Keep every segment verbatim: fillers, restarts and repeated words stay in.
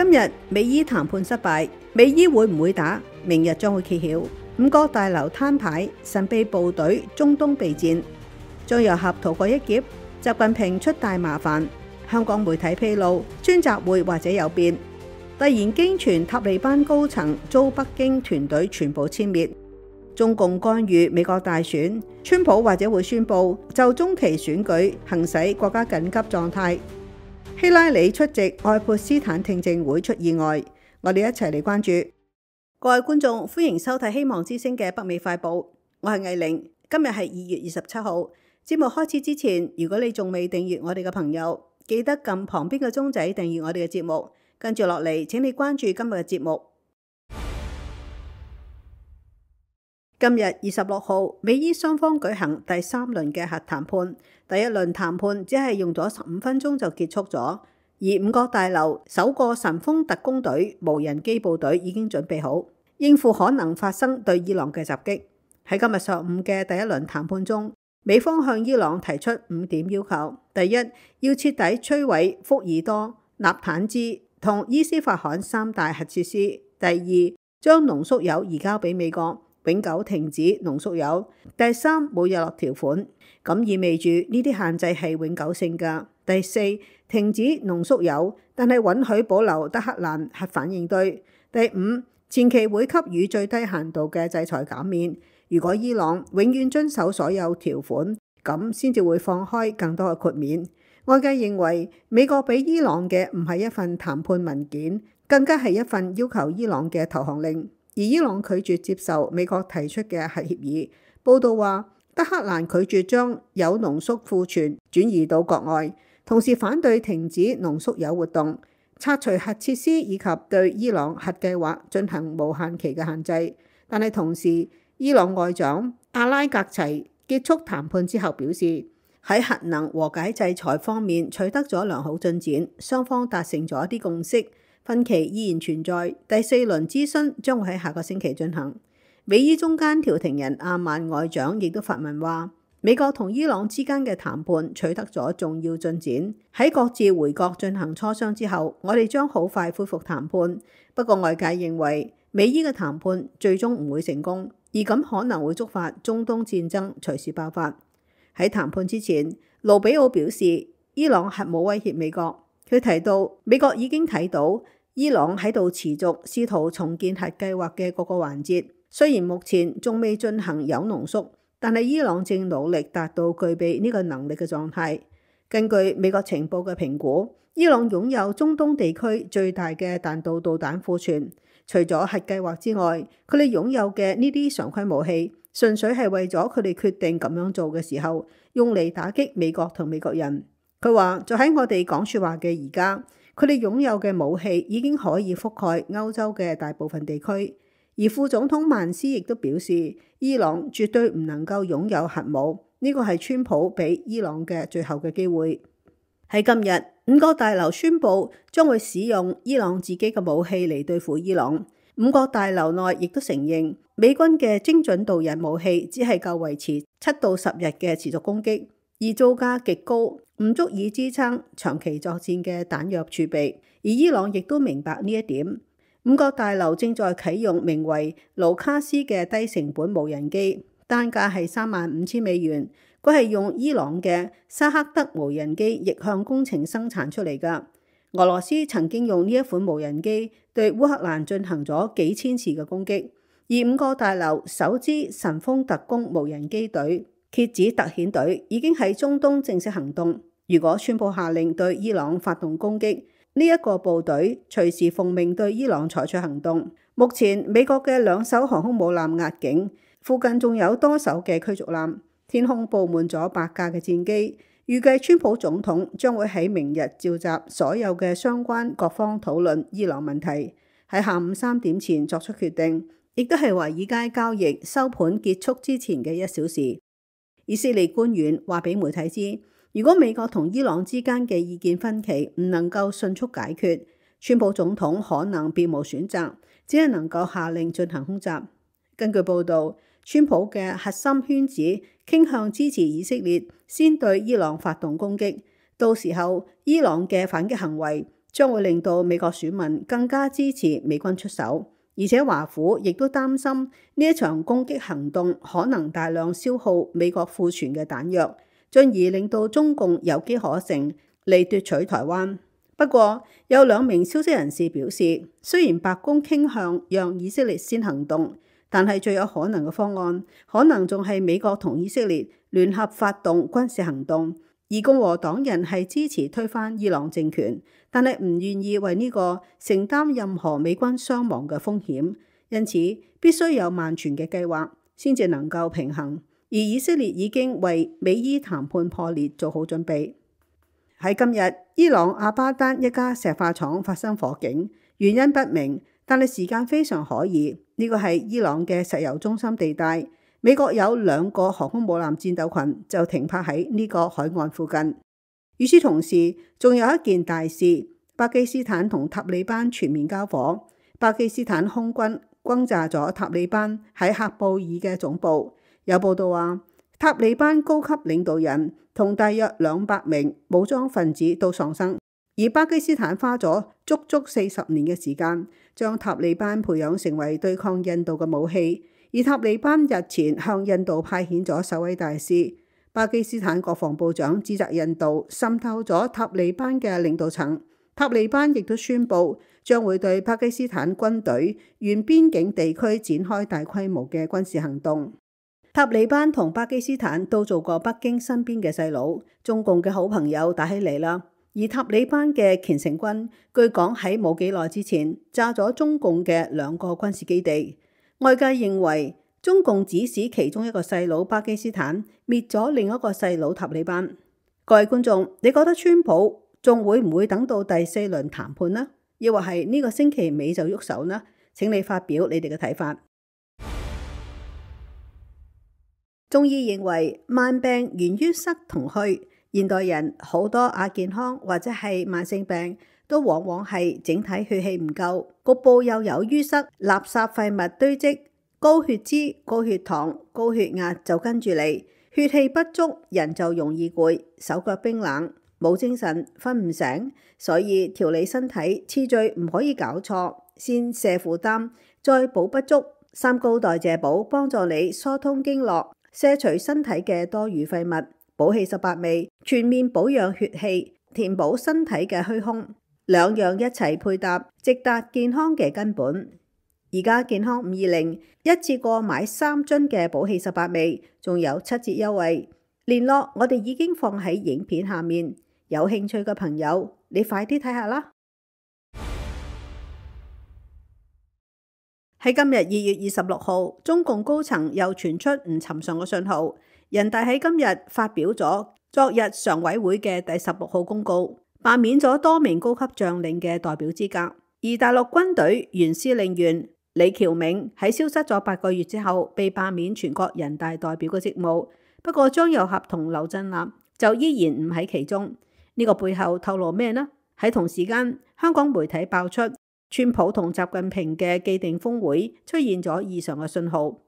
今日美伊談判失敗，美伊會唔會打？明日將會揭曉。五角大樓攤牌，神秘部隊中東備戰，將由合逃過一劫。習近平出大麻煩。香港媒體披露，專責會或者有變。突然經傳塔利班高層遭北京團隊全部殲滅。中共干預美國大選，川普或者會宣布就中期選舉行使國家緊急狀態。希拉里出席愛潑斯坦聽證會出意外，我哋一齊嚟關注。各位觀眾，歡迎收睇希望之聲嘅北美快報，我係藝玲。今日係二月二十七號。節目開始之前，如果你仲未訂閱我哋嘅朋友，記得撳旁邊嘅鐘仔訂閱我哋嘅節目。跟住落嚟，請你關注今日嘅節目。今日二十六號，美伊雙方舉行第三輪嘅核談判。第一輪談判只係用咗十五分鐘就結束咗，而五角大樓首個神風特攻隊無人機部隊已經準備好，應付可能發生對伊朗嘅襲擊。喺今日上午嘅第一輪談判中，美方向伊朗提出五點要求：第一，要徹底摧毀福爾多、納坦茲同伊斯法罕三大核設施；第二，將濃縮鈾移交俾美國，永久停止濃縮鈾；第三，冇日落條款，咁意味住呢啲限制係永久性㗎；第四，停止濃縮鈾，但係允許保留德黑蘭核反應堆；第五，前期會給予最低限度嘅制裁減免。如果伊朗永遠遵守所有條款，咁先至會放開更多嘅豁免。外界認為美國俾伊朗嘅唔係一份談判文件，更加係一份要求伊朗嘅投降令。而伊朗拒絕接受美國提出嘅核協議。報道話，德黑蘭拒絕將鈾濃縮庫存轉移到國外，同時反對停止濃縮鈾活動、拆除核設施以及對伊朗核計劃進行無限期嘅限制。但係同時，伊朗外長阿拉格齊結束談判之後表示，喺核能和解制裁方面取得咗良好進展，雙方達成咗一啲共識，分歧依然存在。第四輪諮詢將會喺下個星期進行。美伊中間調停人阿曼外長亦都發文話，美國同伊朗之間嘅談判取得咗重要進展，喺各自回國進行磋商之後，我哋將好快恢復談判。不過外界認為美伊嘅談判最終唔會成功，而咁可能會觸發中東戰爭隨時爆發。喺談判之前，盧比奧表示伊朗核武威脅美國。佢提到美國已經睇到伊朗喺度持續試圖重建核計劃嘅各個環節，雖然目前仲未進行鈾濃縮，但係伊朗正努力達到具備呢個能力嘅狀態。根據美國情報嘅評估，伊朗擁有中東地區最大嘅彈道導彈庫存。除咗核計劃之外，佢哋擁有嘅呢啲常規武器，純粹係為咗佢哋決定咁樣做嘅時候，用嚟打擊美國同美國人。佢話，就喺我哋講說話嘅而家，佢哋擁有嘅武器已經可以覆蓋歐洲嘅大部分地區。而副總統曼斯亦都表示，伊朗絕對唔能夠擁有核武，呢個係川普俾伊朗嘅最後嘅機會。喺今日，五角大樓宣布將會使用伊朗自己嘅武器嚟對付伊朗。五角大樓內亦都承認，美軍嘅精準導引武器只係夠維持七到十日嘅持續攻擊，而造價極高，唔足以支撐長期作戰嘅彈藥儲備。而伊朗亦都明白呢一點。五角大樓正在啟用名為盧卡斯嘅低成本無人機，單價係三萬五千美元。佢係用伊朗嘅沙克德無人機逆向工程生產出嚟㗎。俄羅斯曾經用呢一款無人機對烏克蘭進行咗幾千次嘅攻擊。而五角大樓首支神風特攻無人機隊蠍子特遣隊已經喺中東正式行動。如果宣布下令對伊朗發動攻擊，呢一個部隊隨時奉命對伊朗採取行動。目前美國嘅兩艘航空母艦壓境，附近仲有多艘嘅驅逐艦。天空佈滿咗百架嘅戰機，預計川普總統將會喺明日召集所有嘅相關各方討論伊朗問題，喺下午三點前作出決定，亦都係華爾街交易收盤結束之前嘅一小時。以色列官員話俾媒體知，如果美國同伊朗之間嘅意見分歧唔能夠迅速解決，川普總統可能別無選擇，只係能夠下令進行空襲。根據報導，川普嘅核心圈子傾向支持以色列先對伊朗發動攻擊，到時候伊朗嘅反擊行為將會令到美國選民更加支持美軍出手，而且華府亦都擔心呢一場攻擊行動可能大量消耗美國庫存嘅彈藥，進而令到中共有機可乘嚟奪取台灣。不過有兩名消息人士表示，雖然白宮傾向讓以色列先行動，但係最有可能嘅方案可能仲係美國同以色列聯合發動軍事行動。而共和黨人係支持推翻伊朗政權，但係唔願意為呢個承擔任何美軍傷亡嘅風險，因此必須有萬全嘅計劃先至能夠平衡。而以色列已經為美伊談判破裂做好準備。喺今日，伊朗阿巴丹一家石化廠發生火警，原因不明，但係時間非常可疑。呢個係伊朗嘅石油中心地帶。美國有兩個航空母艦戰鬥群就停泊喺呢個海岸附近。與此同時，仲有一件大事，巴基斯坦同塔利班全面交火。巴基斯坦空軍轟炸咗塔利班喺喀布爾嘅總部。有報道話，塔利班高級領導人同大約兩百名武裝分子都喪生。而巴基斯坦花咗足足四十年嘅時間，將塔利班培養成為對抗印度嘅武器。而塔利班日前向印度派遣咗首位大使，巴基斯坦國防部長指責印度滲透咗塔利班嘅領導層。塔利班亦都宣布將會對巴基斯坦軍隊沿邊境地區展開大規模嘅軍事行動。塔利班同巴基斯坦都做過北京身邊嘅細佬，中共嘅好朋友打起嚟啦。而塔利班嘅虔誠軍據講喺冇幾耐之前炸咗中共嘅兩個軍事基地。外界認為中共指使其中一個細佬巴基斯坦滅咗另一個細佬塔利班。各位觀眾，你覺得川普仲會唔會等到第四輪談判呢？抑或係呢個星期尾就喐手呢？請你發表你哋嘅睇法。中醫認為慢病源於塞同虛，現代人好多亞健康或者係慢性病都往往係整體血氣唔夠，局部又有淤塞、垃圾廢物堆積、高血脂、高血糖、高血壓就跟住嚟，血氣不足，人就容易攰、手腳冰冷、冇精神、瞓唔醒。所以調理身體次序唔可以搞錯，先瀉負擔，再補不足。三高代謝補幫助你疏通經絡，卸除身體嘅多餘廢物。補氣十八味全面保養血氣，填補身體嘅虛空。兩樣一齊配搭，直達健康嘅根本。而家健康五二零一次過買三樽嘅補氣十八味，仲有七折優惠。聯絡我哋已經放喺影片下面，有興趣嘅朋友，你快啲睇下啦。喺今日二月二十六號，中共高層又傳出唔尋常嘅信號。人大喺今日發表咗昨日常委會嘅第十六號公告，罷免咗多名高級將領嘅代表資格。而大陸軍隊原司令員李喬銘喺消失咗八個月之後，被罷免全國人大代表嘅職務。不過張又俠同劉振立就依然唔喺其中。呢個背後透露咩呢？喺同時間，香港媒體爆出川普同習近平嘅既定峰會出現咗異常嘅信號。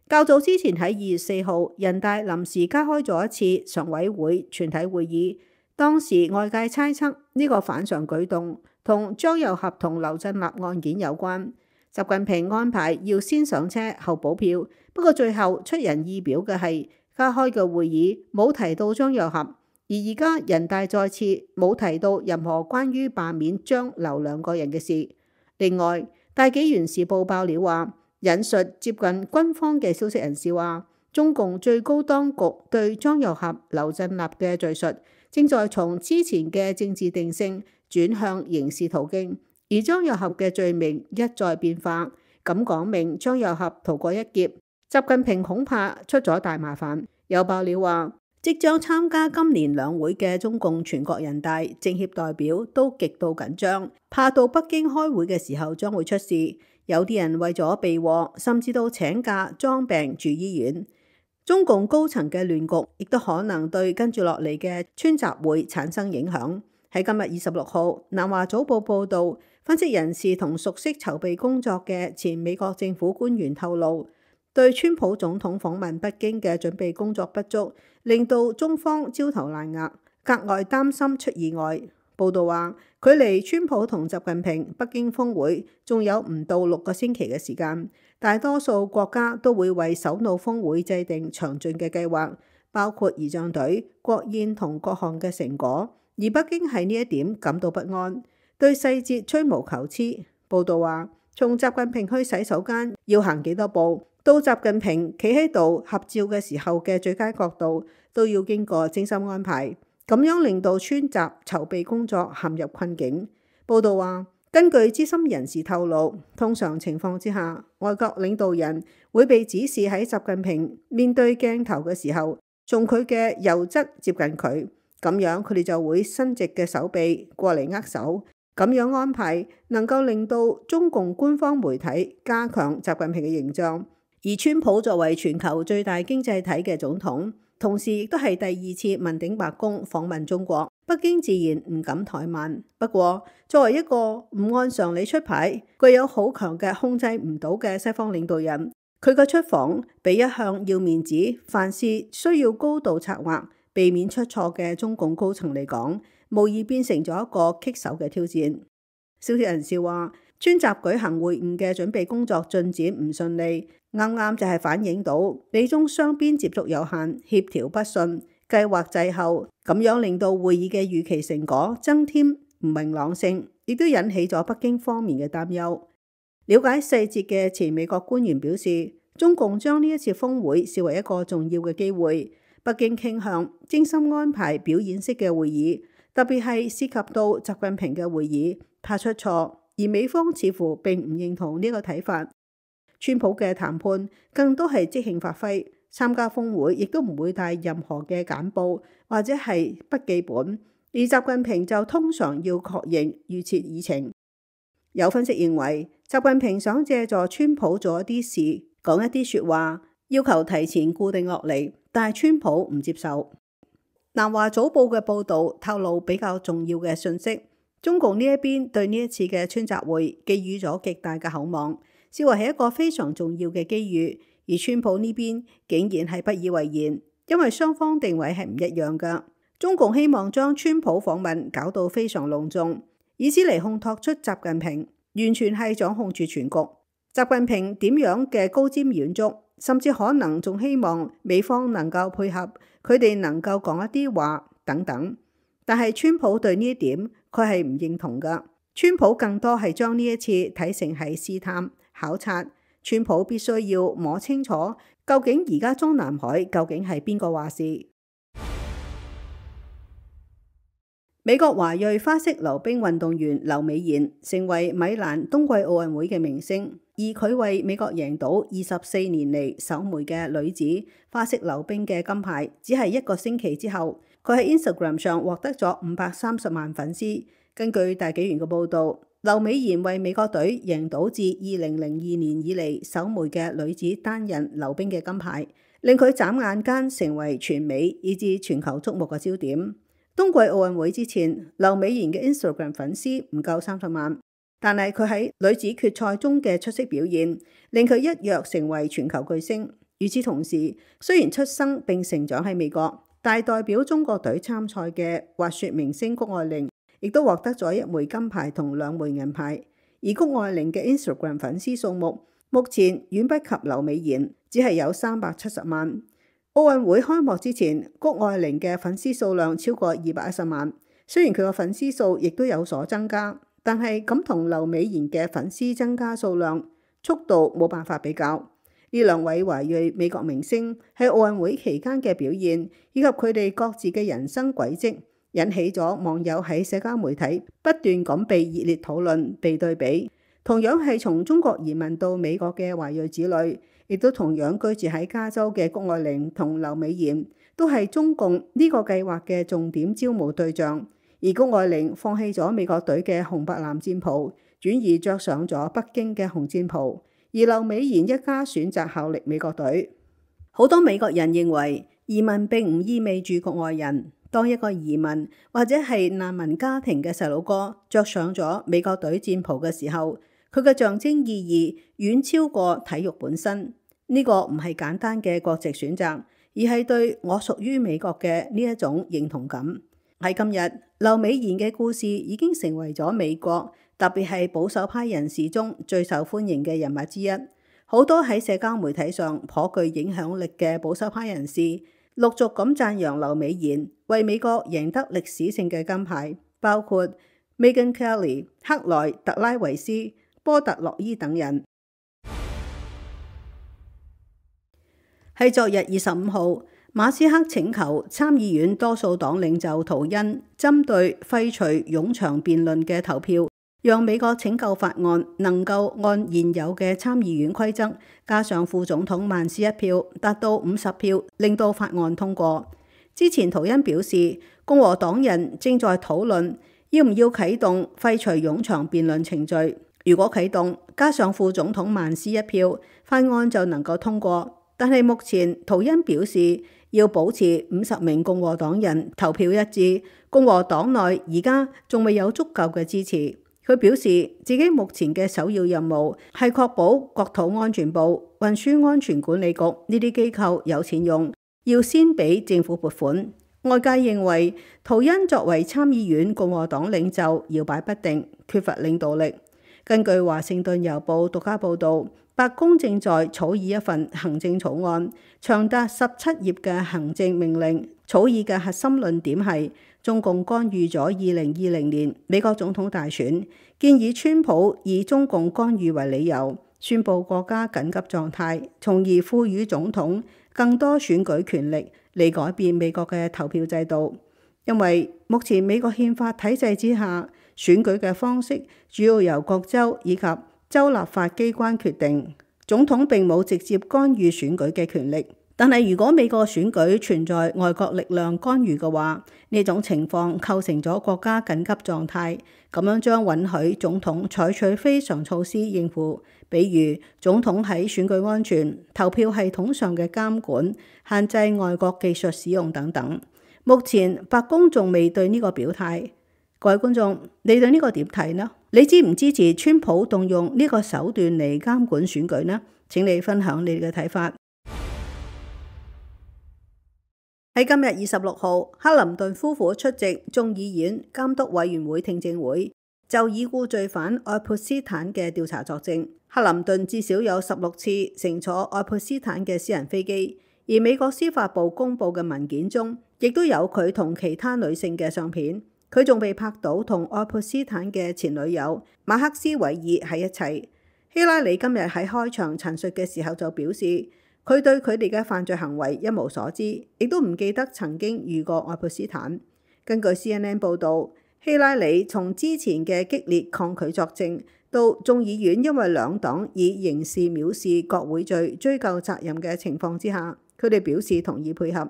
較早之前喺二月四號，人大臨時加開咗一次常委會全體會議，當時外界猜測呢個反常舉動同張又俠同劉振立案件有關。習近平安排要先上車後補票，不過最後出人意表嘅係加開嘅會議冇提到張又俠，而而家人大再次冇提到任何關於罷免張劉兩個人嘅事。另外，大紀元時報爆料話，引述接近軍方嘅消息人士話，中共最高當局對張又俠、劉振立嘅敘述正在從之前嘅政治定性轉向刑事途徑，而張又俠嘅罪名一再變化，咁講明張又俠逃過一劫，習近平恐怕出咗大麻煩。有爆料話，即將參加今年兩會嘅中共全國人大政協代表都極度緊張，怕到北京開會嘅時候將會出事。有啲人為咗避禍，甚至到請假裝病住醫院。中共高層嘅亂局，亦都可能對跟住落嚟嘅川習會產生影響。喺今日二十六號，南華早報報道，分析人士同熟悉籌備工作嘅前美國政府官員透露，對川普總統訪問北京嘅準備工作不足，令到中方焦頭爛額，格外擔心出意外。報道話，距離川普同習近平北京峰會仲有唔到六個星期嘅時間，大多數國家都會為首腦峰會制定詳盡嘅計劃，包括儀仗隊、國宴同各項嘅成果。而北京喺呢一點感到不安，對細節吹毛求疵。報道話，從習近平去洗手間要行幾多步，到習近平企喺度合照嘅時候嘅最佳角度，都要經過精心安排，咁樣令到川習籌備工作陷入困境。報道話，根據資深人士透露，通常情況之下，外國領導人會被指示喺習近平面對鏡頭嘅時候，從佢嘅右側接近佢，咁樣佢哋就會伸直嘅手臂過嚟握手。咁樣安排能夠令到中共官方媒體加強習近平嘅形象。而川普作為全球最大經濟體嘅總統，同時亦都係第二次問鼎白宮訪問中國，北京自然唔敢怠慢。不過作為一個唔按常理出牌、具有好強嘅控制唔到嘅西方領導人，佢嘅出訪比一向要面子、凡事需要高度策劃、避免出錯嘅中共高層嚟講，無疑變成咗一個棘手嘅挑戰。消息人士話，川習舉行會晤嘅準備工作進展唔順利，啱啱就係反映到美中雙邊接觸有限、協調不順、計劃滯後，咁樣令到會議嘅預期成果增添唔明朗性，亦都引起咗北京方面嘅擔憂。了解細節嘅前美國官員表示，中共將呢一次峰會視為一個重要嘅機會，北京傾向精心安排表演式嘅會議，特別係涉及到習近平嘅會議，怕出錯。而美方似乎並唔認同呢個睇法。川普嘅談判更多係即興發揮，參加峰會亦都唔會帶任何嘅簡報或者係筆記本，而習近平就通常要確認預設議程。有分析認為，習近平想借助川普做一啲事，講一啲說話，要求提前固定落嚟，但係川普唔接受。南華早報嘅報導透露比較重要嘅信息。中共呢一邊對呢一次嘅川習會寄予咗極大嘅厚望，視為係一個非常重要嘅機遇。而川普呢邊竟然係不以為然，因為雙方定位係唔一樣噶。中共希望將川普訪問搞到非常隆重，以此嚟烘托出習近平完全係掌控住全局。習近平點樣嘅高瞻遠矚，甚至可能仲希望美方能夠配合，佢哋能夠講一啲話等等。但係川普對呢一點，佢係唔認同噶。川普更多係將呢一次睇成係試探、考察。川普必須要摸清楚，究竟而家中南海究竟係邊個話事。美國華裔花式溜冰運動員劉美妍成為米蘭冬季奧運會嘅明星，而佢為美國贏到二十四年嚟首枚嘅女子花式溜冰嘅金牌，只係一個星期之後，佢喺 Instagram 上獲得咗五百三十萬粉絲。根據大紀元嘅報導，劉美妍為美國隊贏到自二零零二年以嚟首枚嘅女子單人溜冰嘅金牌，令佢眨眼間成為全美以至全球矚目嘅焦點。冬季奧運會之前，劉美妍嘅 Instagram 粉絲唔夠三十萬，但係佢喺女子決賽中嘅出色表現，令佢一躍成為全球巨星。與此同時，雖然出生並成長喺美國，但代表中國隊參賽嘅滑雪明星谷愛凌，亦都獲得咗一枚金牌同兩枚銀牌。而谷愛凌嘅 Instagram 粉絲數目目前遠不及劉美妍，只係有三百七十萬。奧運會開幕之前，谷愛凌嘅粉絲數量超過二百一十萬。雖然佢個粉絲數亦都有所增加，但係咁同劉美妍嘅粉絲增加數量速度冇辦法比較。呢兩位華裔美國明星喺奧運會期間嘅表現，以及佢哋各自嘅人生軌跡，引起咗網友喺社交媒體不斷咁被熱烈討論、被對比。同樣係從中國移民到美國嘅華裔子女，亦都同樣居住喺加州嘅谷愛凌同劉美妍，都係中共呢個計劃嘅重點招募對象。而谷愛凌放棄咗美國隊嘅紅白藍戰袍，轉而着上咗北京嘅紅戰袍。而劉美妍一家選擇效力美國隊。好多美國人認為移民並唔意味住局外人。當一個移民或者係難民家庭嘅細佬哥着上咗美國隊戰袍嘅時候，佢嘅象徵意義遠超過體育本身。呢個唔係簡單嘅國籍選擇，而係對我屬於美國嘅呢一種認同感。喺今日，劉美賢嘅故事已經成為咗美國，特別係保守派人士中最受歡迎嘅人物之一。好多喺社交媒體上頗具影響力嘅保守派人士，陸續咁讚揚劉美賢為美國贏得歷史性嘅金牌，包括 Megyn Kelly、克萊特拉維斯、波特洛伊等人。喺昨日二十五號，馬斯克請求參議院多數黨領袖圖恩針對廢除冗長辯論嘅投票，讓美國拯救法案能夠按現有嘅參議院規則，加上副總統曼斯一票，達到五十票，令到法案通過。之前圖恩表示，共和黨人正在討論要唔要啟動廢除冗長辯論程序。如果啟動，加上副總統曼斯一票，法案就能夠通過。但係目前圖恩表示要保持五十名共和黨人投票一致，共和黨內而家仲未有足夠嘅支持。佢表示自己目前嘅首要任務係確保國土安全部、運輸安全管理局呢啲機構有錢用，要先俾政府撥款。外界認為圖恩作為參議院共和黨領袖搖擺不定，缺乏領導力。根據華盛頓郵報獨家報導，白宮正在草擬一份行政草案，長達十七頁嘅行政命令。草擬嘅核心論點係中共干預咗二零二零年美國總統大選，建議川普以中共干預為理由，宣布國家緊急狀態，從而賦予總統更多選舉權力嚟改變美國嘅投票制度。因為目前美國憲法體制之下，選舉嘅方式主要由各州以及州立法機關決定，總統並冇直接干預選舉嘅權力。但係如果美國選舉存在外國力量干預嘅話，呢種情況構成咗國家緊急狀態，咁樣將允許總統採取非常措施應付，比如總統喺選舉安全、投票系統上嘅監管、限制外國技術使用等等。目前白宮仲未對呢個表態。各位觀眾，你對呢個點睇呢？你支唔支持川普動用呢個手段嚟監管選舉呢？請你分享你嘅睇法。喺今日二十六號，克林頓夫婦出席眾議院監督委員會聽證會，就已故罪犯愛潑斯坦嘅調查作證。克林頓至少有十六次乘坐愛潑斯坦嘅私人飛機，而美國司法部公佈嘅文件中，亦都有佢同其他女性嘅相片。佢仲被拍到同愛潑斯坦嘅前女友馬克斯韋爾喺一齊。希拉里今日喺開場陳述嘅時候就表示，佢對佢哋嘅犯罪行為一無所知，亦都唔記得曾經遇過愛潑斯坦。根據 C N N 報導，希拉里從之前嘅激烈抗拒作證，到眾議院因為兩黨以刑事藐視國會罪追究責任嘅情況之下，佢哋表示同意配合。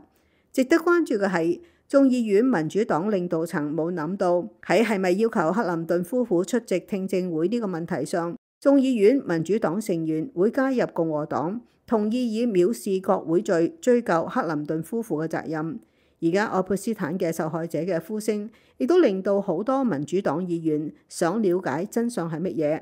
值得關注嘅係，眾議院民主黨領導層冇諗到喺係咪要求克林頓夫婦出席聽證會呢個問題上，眾議院民主黨成員會加入共和黨，同意以藐視國會罪追究克林頓夫婦嘅責任。而家愛潑斯坦嘅受害者嘅呼聲，亦都令到好多民主黨議員想了解真相係乜嘢。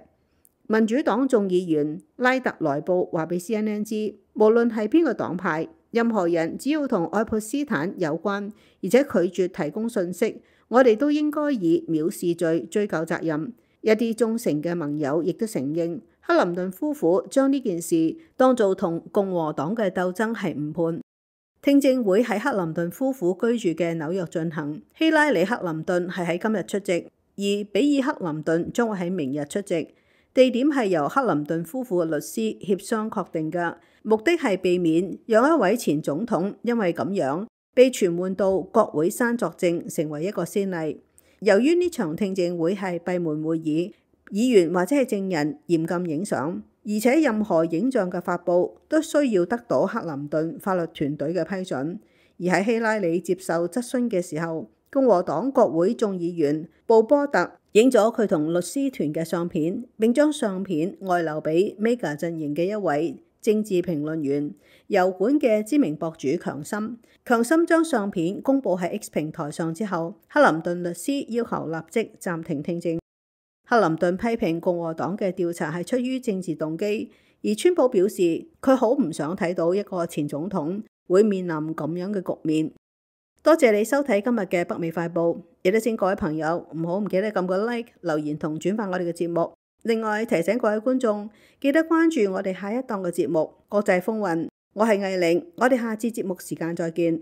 民主黨眾議員拉特萊布話俾 C N N 知，無論係邊個黨派，任何人只要同愛潑斯坦有關，而且拒絕提供信息，我哋都應該以藐視罪追究責任。一啲忠誠嘅盟友亦都承認，克林頓夫婦將呢件事當做同共和黨嘅鬥爭係誤判。聽證會喺克林頓夫婦居住嘅紐約進行，希拉里克林頓係喺今日出席，而比爾克林頓將會喺明日出席。地點係由克林頓夫婦嘅律師協商確定嘅，目的係避免讓一位前總統因為咁樣被傳喚到國會山作證，成為一個先例。由於呢場聽證會係閉門會議，議員或者係證人嚴禁影相，而且任何影像嘅發布都需要得到克林頓法律團隊嘅批准。而喺希拉里接受質詢嘅時候，共和黨國會眾議員布波特影咗佢同律師團嘅相片，並將相片外流俾 Mega 陣營嘅一位政治評論員、油管嘅知名博主強森。強森將相片公佈喺 X 平台上之後，克林頓律師要求立即暫停聽證。克林頓批評共和黨嘅調查係出於政治動機，而川普表示佢好唔想睇到一個前總統會面臨咁樣嘅局面。多謝你收睇今日嘅北美快報，亦都請各位朋友唔好唔記得撳個 like、留言同轉發我哋嘅節目。另外提醒各位觀眾，記得關注我哋下一檔嘅節目《國際風雲》。我係藝玲，我哋下次節目時間再見。